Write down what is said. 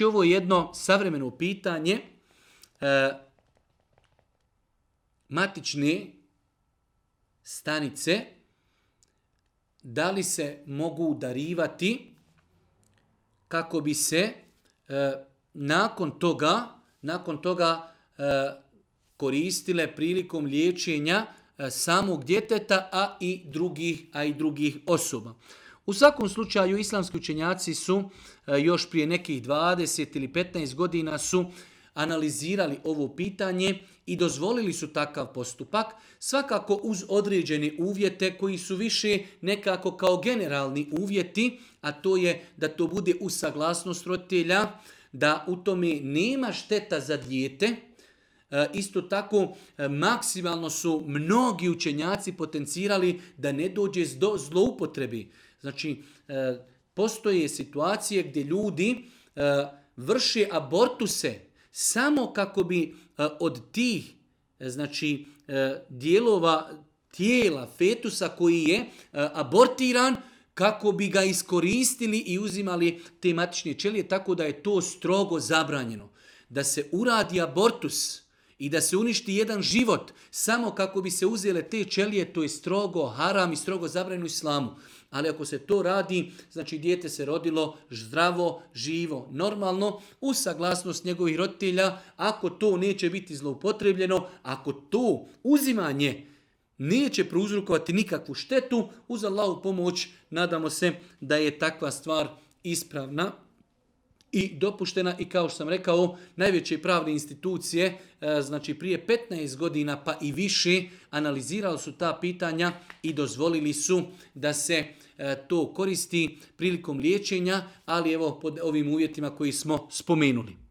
ovo je jedno savremeno pitanje. Matične stanice, da li se mogu darivati kako bi se nakon toga koristile prilikom liječenja samog djeteta, a i drugih osoba. U svakom slučaju, islamski učenjaci su još prije nekih 20 ili 15 godina su analizirali ovo pitanje i dozvolili su takav postupak, svakako uz određene uvjete koji su više nekako kao generalni uvjeti, a to je da to bude uz saglasnost roditelja, da u tome nema šteta za dijete. Isto tako, maksimalno su mnogi učenjaci potencirali da ne dođe do zloupotrebi. Znači, postoje situacije gdje ljudi vrše abortuse samo kako bi od tih dijelova tijela fetusa koji je abortiran, kako bi ga iskoristili i uzimali te matične ćelije, tako da je to strogo zabranjeno. Da se uradi abortus i da se uništi jedan život samo kako bi se uzele te ćelije, to je strogo haram i strogo zabranjeno u islamu. Ali ako se to radi, znači dijete se rodilo zdravo, živo, normalno, uz saglasnost njegovih roditelja, ako to neće biti zloupotrebljeno, ako to uzimanje neće prouzrokovati nikakvu štetu, uz Allahovu pomoć nadamo se da je takva stvar ispravna i dopuštena. I kao što sam rekao, najveće pravne institucije, znači prije 15 godina pa i više, analizirali su ta pitanja i dozvolili su da se to koristi prilikom liječenja, ali evo pod ovim uvjetima koji smo spomenuli.